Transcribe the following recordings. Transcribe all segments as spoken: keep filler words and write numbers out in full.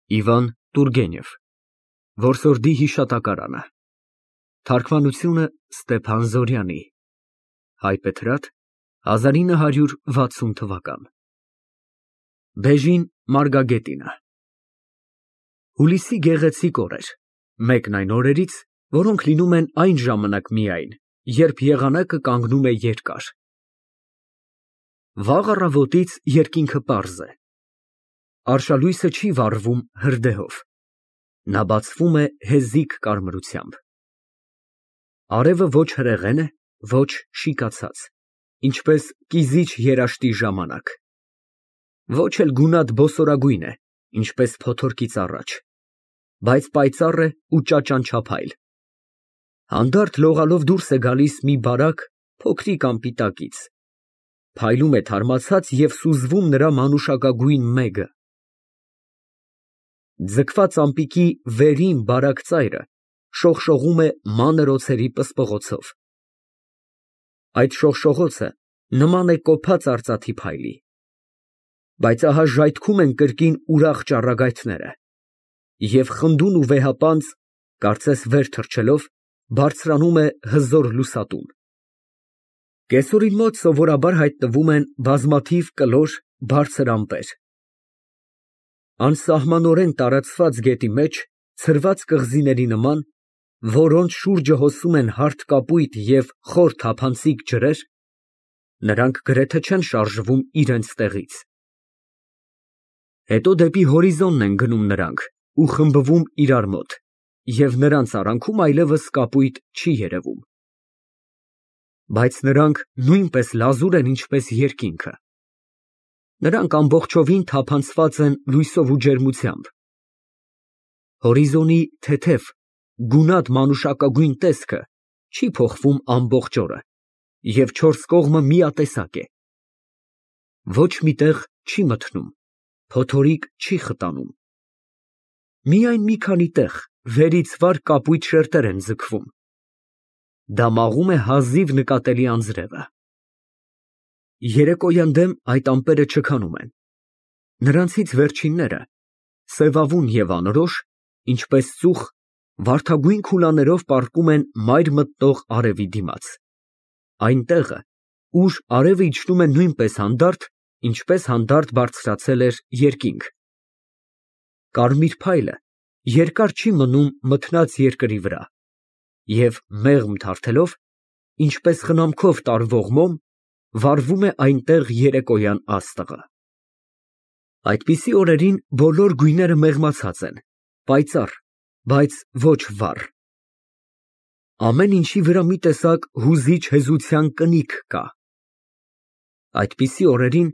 Իվան Տուրգենև, Որսորդի հիշատակարանը, թարգմանությունը Ստեփան Զորյանի, հայբեթրատ հազար ինը հարյուր վաթսուն թվական, Բեժին Մարգագետինը։ Հուլիսի գեղեցիկ օր էր, մեկն այն օրերից, որոնք լինում են այն ժամանակ միայն, երբ եղանակը կանգնում է երկար։ Վաղ առավոտից երկինքը պարզ է, արշալույսը չի վառվում հրդեհով, նա բացվում է հեզիկ կարմրությամբ։ Արևը ոչ հրեղեն է, ոչ շիկացած, ինչպես կիզիչ երաշտի ժամանակ, ոչ էլ գունատ բոսորագույն է, ինչպես փոթորկից առաջ, բայց պայծառ է ու ճաճանչափայլ։ Հանդարտ լողալով դուրս է գալիս մի բարակ, փոքրիկ անպիտակից, փայլում է թարմացած և սուզվում նրա մանուշակագույն մեգը։ Ձգված ամպիկի վերին բարակ ծայրը շողշողում է մանր օձերի պսպղոցով։ Այդ շողշողոցը նման է կոփած արծաթի փայլի, բայց ահա ժայթքում են կրկին ուրախ ճառագայթները, և խնդուն ու վեհապանծ, կարծես վեր թռչելով, բարձրանում է հզոր լուսատուն։ Կեսօրին մոտ սովորաբար հայտնվում են բազմաթիվ կլոր, բարձր ամպեր։ Անսահմանորեն տարածված գետի մեջ, ցրված կղզիների նման, որոնց շուրջը հոսում են հարթ կապույտ և խոր թափանցիկ ջրեր, նրանք գրեթե չեն շարժվում իրենց տեղից։ Հետո դեպի հորիզոնն են գնում նրանք ու խմբվում իրար մոտ, և նրանց արանքում այլևս կապույտ չի երևում։ Բայց նրանք նույնպես լազուր են, ինչպես երկինքը։ Նրանք ամբողջովին թափանցված են լույսով ու ջերմությամբ։ Հորիզոնի թեթև, գունատ մանուշակագույն տեսքը չի փոխվում ամբողջ օրը, և չորս կողմը միատեսակ է։ Ոչ մի տեղ չի մթնում, փոթորիկ չի խտանում։ Միայն մի քանի տեղ վերից վար կապույտ շերտեր են ձգվում։ Դա մաղում է հազիվ նկատելի անձրևը։ Երեկոյան դեմ այդ ամպերը չքանում են։ Նրանցից վերջինները, սևավուն և անորոշ, ինչպես ծուխ, վարդագույն քուլաներով պառկում են մայր մտնող արևի դիմաց, այն տեղը, ուր արևը իջնում է նույնպես հանդարտ, ինչպես հանդարտ բարձրացել էր երկինք։ Կարմիր փայլը երկար չի մնում մթնած երկրի վրա, և մեղմ թարթելով, ինչպես խնամքով տարվող մոմ, վառվում է այնտեղ երեկոյան աստղը։ Այդպիսի օրերին բոլոր գույները մեղմացած են, պայծառ, բայց ոչ վառ։ Ամեն ինչի վրա մի տեսակ հուզիչ հեզության կնիք կա։ Այդպիսի օրերին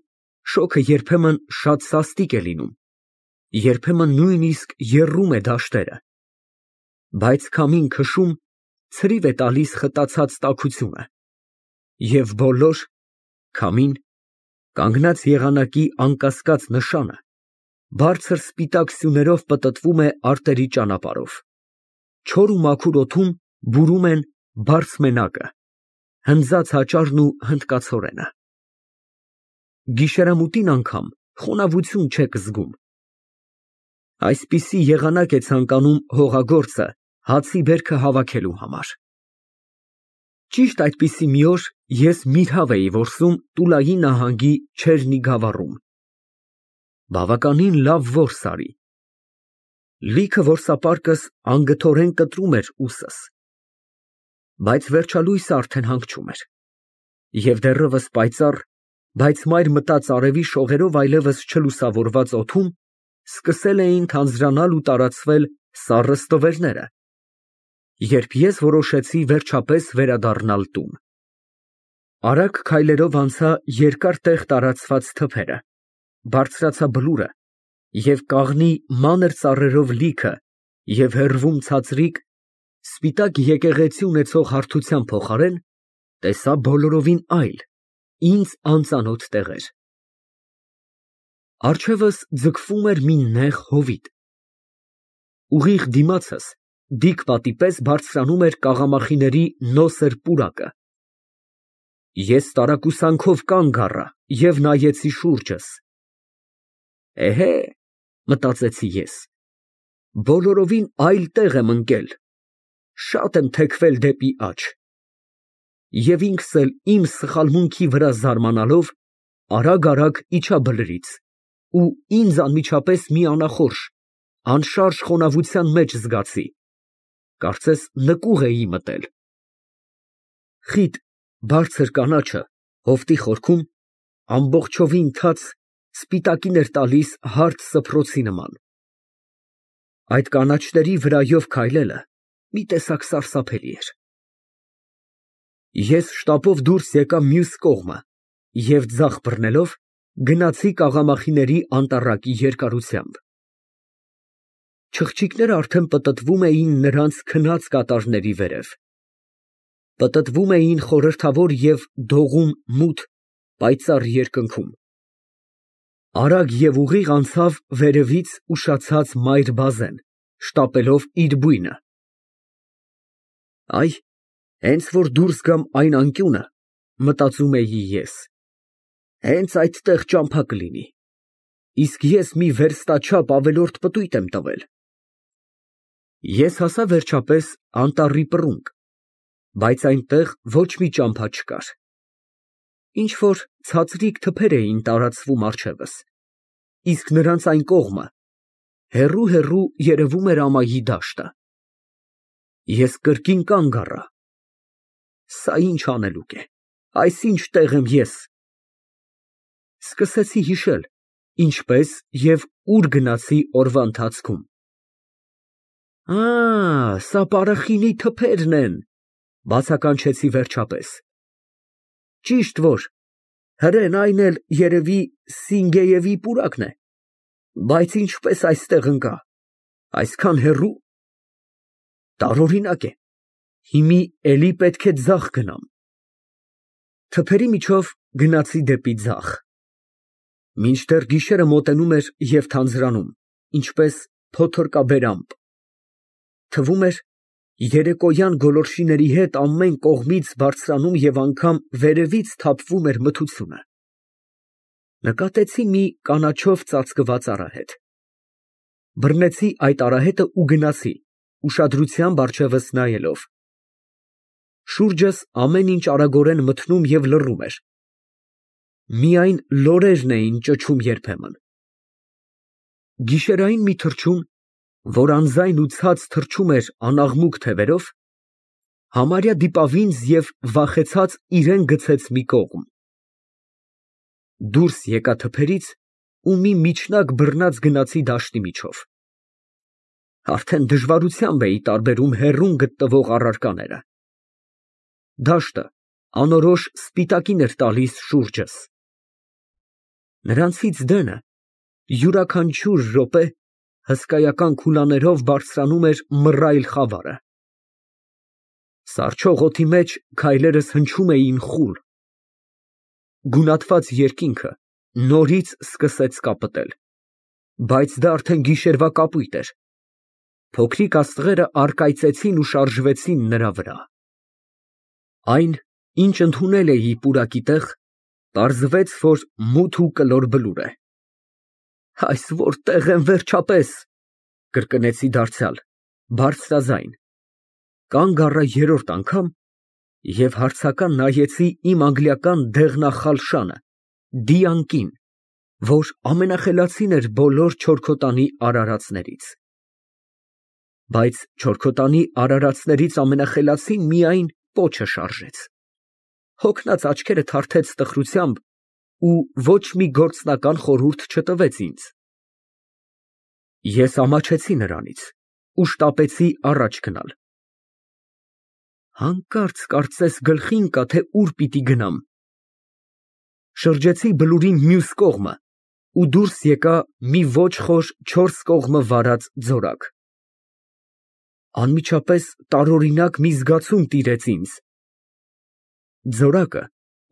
շոգը երբեմն շատ սաստիկ է լինում, երբեմն նույնիսկ եռում է դաշտերը, բայց քամին քշում ցրիվ է տալիս խտացած տաքությունը, և բոլոր, քամին, կանգնած եղանակի անկասկած նշանը, բարձր սպիտակ սյուներով պտտվում է արտերի ճանապարհով, չոր ու մաքուր օդում բուրում են բարձմենակը, հնձած հաճարն ու հնդկացորենը։ Գիշերամուտին անգամ խոնավություն չեք զգում։ Այսպիսի եղանակ է ցանկանում հողագործը հացի բերքը հավաքելու համար։ Ճիշտ այդպիսի մի օր ես միրհավ էի որսում Տուլայի նահանգի Չերնի գավառում։ Բավականին լավ որս արի։ Լիքը որսապարկս անգթորեն կտրում էր ուսս։ Բայց վերջալույսը արդեն հանգչում էր, և դեռևս պայծառ, բայց մայր մտած արևի շողերով այլևս չլուսավորված օդում սկսել էին թանձրանալ ու տարածվել սառը ստվերները, երբ ես որոշեցի վերջապես վերադառնալ տուն։ Արագ քայլերով անցա երկար տեղ տարածված թփերը, բարձրացա բլուրը և կաղնի մանր ծառերով լիքը և հեռվում ցածրիկ, սպիտակ եկեղեցի ունեցող հարթության փոխարեն տեսա բոլորովին այլ, ինձ անծանոթ տեղեր։ Առջևս ձգվում էր մի նեղ հովիտ։ Ուղիղ դիմացս դիք պատի պես բարձրանում էր կաղամախիների նոսր պուրակը։ Ես տարակուսանքով կանգ առա և նայեցի շուրջս։ «Էհե», մտածեցի ես, բոլորովին այլ տեղ եմ ընկել, շատ եմ թեքվել դեպի աջ։ Եվ ինքս էլ իմ սխալմունքի վրա զարմանալով, արագ֊արագ իջա բլրից ու ինձ անմիջապես մի անախորժ, անշարժ խոնավության մեջ զգացի, կարծես նկուղ էի մտել։ Խիտ, բարձր կանաչը հովտի խորքում ամբողջովին թաց սպիտակին էր տալիս հարթ սփռոցի նման։ Այդ կանաչների վրայով քայլելը մի տեսակ սարսափելի էր։ Ես շտապով դուրս եկա մյուս կողմը և ձախ բռնելով գնացի կաղամախիների անտառակի երկարությամբ։ Չղջիկները արդեն պտտվում էին նրանց քնած կատարների վերև, պտտվում էին խորհրդավոր և դողում մութ, պայծառ երկնքում։ Արագ և ուղիղ անցավ վերևից ուշացած մայր բազեն, շտապելով իր բույնը։ Այ, հենց որ դուրս գամ այն անկյունը, մտածում էի ես, հենց այդտեղ ճամփա կլինի, իսկ ես մի վերստաչափ ավելորդ պտույտ եմ տվել։ Ես հասա վերջապես անտառի պռունգ, բայց այնտեղ ոչ մի ճամփա չկար։ Ինչ֊որ ցածրիկ թփեր էին տարածվում առջևս, իսկ նրանց այն կողմը հեռու֊հեռու երևում էր ամայի դաշտը։ Ես կրկին կանգ առա։ Սա ի՞նչ հանելուկ է, այս ի՞նչ տեղ եմ ես։ Սկսեցի հիշել, ինչպես և ուր գնացի օրվա ընթացքում։ Ա, սա պարախինի թփերն են, բացականչեցի վերջապես։ Ճիշտ որ հրեն այն էլ երևի Սինգեյևի պուրակն է, բայց ինչպես այստեղ ընկա, այսքան հեռու։ Տարօրինակ է, հիմի էլի պետք է ձախ գնամ։ Թփերի միջով գնացի դեպի ձախ։ Մինչդեռ գիշերը մոտենում էր և թանձրանում, ինչպես փոթորկաբերամպ։ Թվում էր, երեկոյան գոլորշիների հետ ամեն կողմից բարձրանում և անգամ վերևից թափվում էր մթությունը։ Նկատեցի մի կանաչով ծածկված արահետ։ Բռնեցի այդ արահետը ու գնացի, ուշադրությամբ առջևս նայելով։ Շուրջս ամեն ինչ արագորեն մթնում և լռում էր։ Միայն լորերն էին ճչում երբեմն։ Գիշերային մի թռչուն, որ անձայն ու ցած թռչում էր անաղմուկ թևերով, համարյա դիպավ ինձ և վախեցած իրան գցեց մի կողմ։ Դուրս եկա թփերից ու մի միջնակ բռնած գնացի դաշտի միջով։ Արդեն դժվարությամբ էի տարբերում հեռուն գտնվող առարկաները։ Դաշտը անորոշ սպիտակին էր տալիս շուրջս։ Նրանցից դենը յուրաքանչյուր րոպե հսկայական քուլաներով բարձրանում էր մռայլ խավարը։ Սառչող օդի մեջ քայլերս հնչում էին խուլ։ Գունատված երկինքը նորից սկսեց կապտել, բայց դա արդեն գիշերվա կապույտ էր։ Փոքրիկ աստղերը առկայծեցին ու շարժվեցին նրա վրա։ Այն, ինչ ընդունել էի պուրակի տեղ, պարզվեց, որ մութ ու կլոր բլուր է։ Այս որտե՞ղ եմ վերջապես, կրկնեցի դարձյալ, բարձրաձայն, կանգ առա երրորդ անգամ և հարցական նայեցի իմ անգլիական դեղնախալ շանը, դիակին, որ ամենախելացին էր բոլոր չորքոտանի արարածներից։ Բայց չորքոտանի արարածներից ամենախելացին միայն պոչը շարժեց։ Հոգնած աչքերը թարթեց տխրությամբ ու ոչ մի գործնական խորհուրդ չտվեց ինձ։ Ես ամաչեցի նրանից ու շտապեցի առաջ գնալ։ Հանկարծ կարծես գլխի ընկա, թե ուր պիտի գնամ։ Շրջեցի բլուրի մյուս կողմը ու դուրս եկա մի ոչ խոր չորս կողմը վարած ձորակ։ Անմիջապես տարօրինակ մի զգացում տիրեց ինձ։ Ձորակը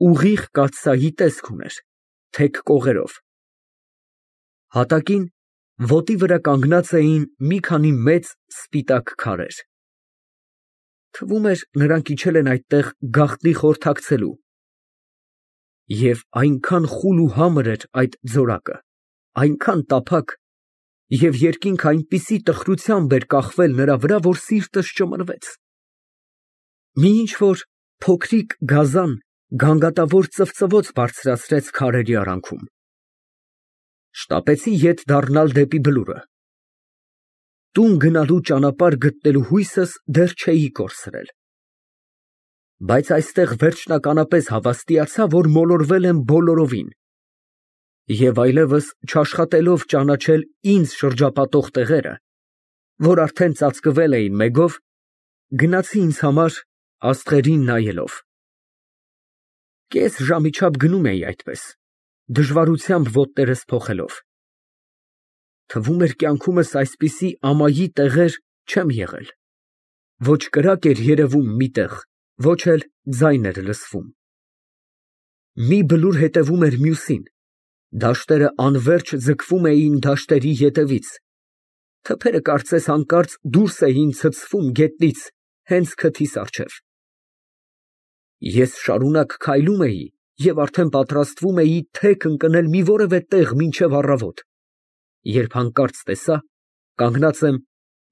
ուղիղ կաթսայի տեսք ուներ, թեք կողերով։ Հատակին ոտի վրա կանգնած էին մի քանի մեծ սպիտակ քարեր։ Թվում էր, նրանք իջել են այդտեղ գաղտնի խորհրդակցելու։ Եվ այնքան խուլ ու համր էր այդ ձորակը, այնքան տափակ, և երկինքը այնպիսի տխրությամբ էր կախվել նրա վրա, որ սիրտս ճմրվեց։ Մի ինչ֊որ փոքրիկ գազան գանգատավոր ծվծվոց բարձրացրեց քարերի արանքում։ Շտապեցի ետ դառնալ դեպի Բլուրը։ Տուն գնալու ճանապարհ գտնելու հույսս դեռ չէի կորցրել։ Բայց այստեղ վերջնականապես հավաստիացա, որ մոլորվել եմ բոլորովին, և այլևս չաշխատելով ճանաչել ինձ շրջապատող տեղերը, որ արդեն ծածկվել էին մեգով, գնացի ինձ համար աստղերին նայելով։ Կես ժամի չափ գնում էի այդպես, դժվարությամբ ոտներս փոխելով։ Թվում էր կյանքումս այսպիսի ամայի տեղեր չեմ եղել, ոչ կրակ էր երևում մի տեղ, ոչ էլ ձայն էր լսվում։ Մի բլուր հետևում էր մյուսին, դաշտերը անվերջ ձգվում էին դաշտերի ետևից, թփերը կարծես հանկարծ դուրս էին ցցվում գետնից հենց քթիս առջև։ Ես շարունակ քայլում էի և արդեն պատրաստվում էի թեք ընկնել մի որևէ տեղ մինչև առավոտ, երբ հանկարծ տեսա կանգնած եմ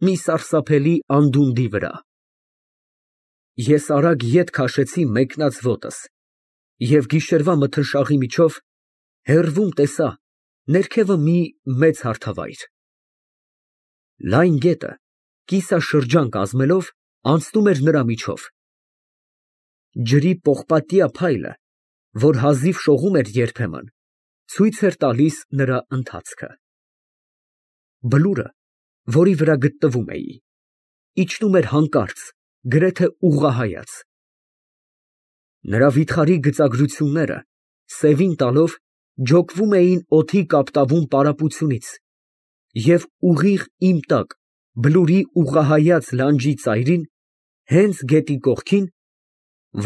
մի սարսափելի անդունդի վրա։ Ես արագ ետ քաշեցի մեկնած ոտս և գիշերվա մթնշաղի միջով հեռվում տեսա ներքևը մի մեծ հարթավայր։ Լայն գետը, կիսաշրջան կազմելով, անցնում էր նրա միջով։ Ջրի պողպատյա փայլը, որ հազիվ շողում էր երբեմն, ցույց էր տալիս նրա ընթացքը։ Բլուրը, որի վրա գտնվում էի, իջնում էր հանկարծ, գրեթե ուղղահայաց։ Նրա վիթխարի գծագրությունները, սևին տալով, ջոկվում էին օդի կապտավուն պարապությունից, և ուղիղ իմ տակ, բլուրի ուղղահայաց լանջի ծայրին, հենց գետի կողքին,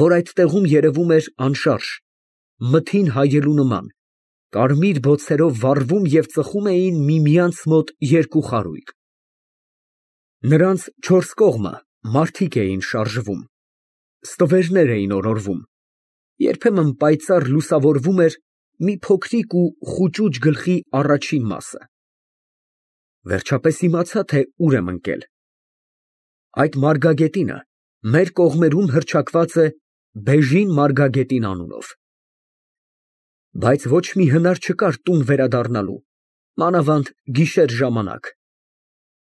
որ այդ տեղում երևում էր անշարժ, մթին հայելու նման, կարմիր բոցերով վառվում և ծխում էին միմյանց մոտ երկու խարույկ։ Նրանց չորս կողմը մարդիկ էին շարժվում, ստվերներ էին օրորվում, երբեմն պայծառ լուսավորվում էր մի փոքրիկ ու խուճուճ գլխի առաջին մասը։ Վերջապես իմացա, թե ուր եմ ընկել։ Այդ մարգագետինը մեր կողմերում հռչակված է Բեժին Մարգագետին անունով։ Բայց ոչ մի հնար չկար տուն վերադառնալու, մանավանդ գիշեր ժամանակ։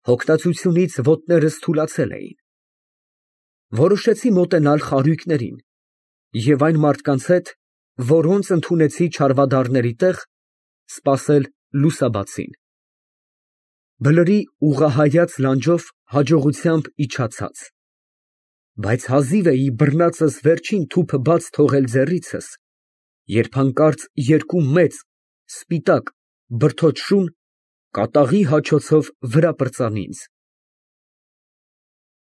Հոգնածությունից ոտներս թուլացել էին։ Որոշեցի մոտենալ խարույկներին և այն մարդկանց հետ, որոնց ընդունեցի չարվադառների տեղ, սպասել լուսաբացին։ Բլրի ուղղահայաց լանջով հաջողությամբ իջա ցած, բայց հազիվ էի բռնածս վերջին թուփը բաց թողել ձեռիցս, երբ հանկարծ երկու մեծ, սպիտակ, բրդոտ շուն կատաղի հաչոցով վրա պրծան ինձ։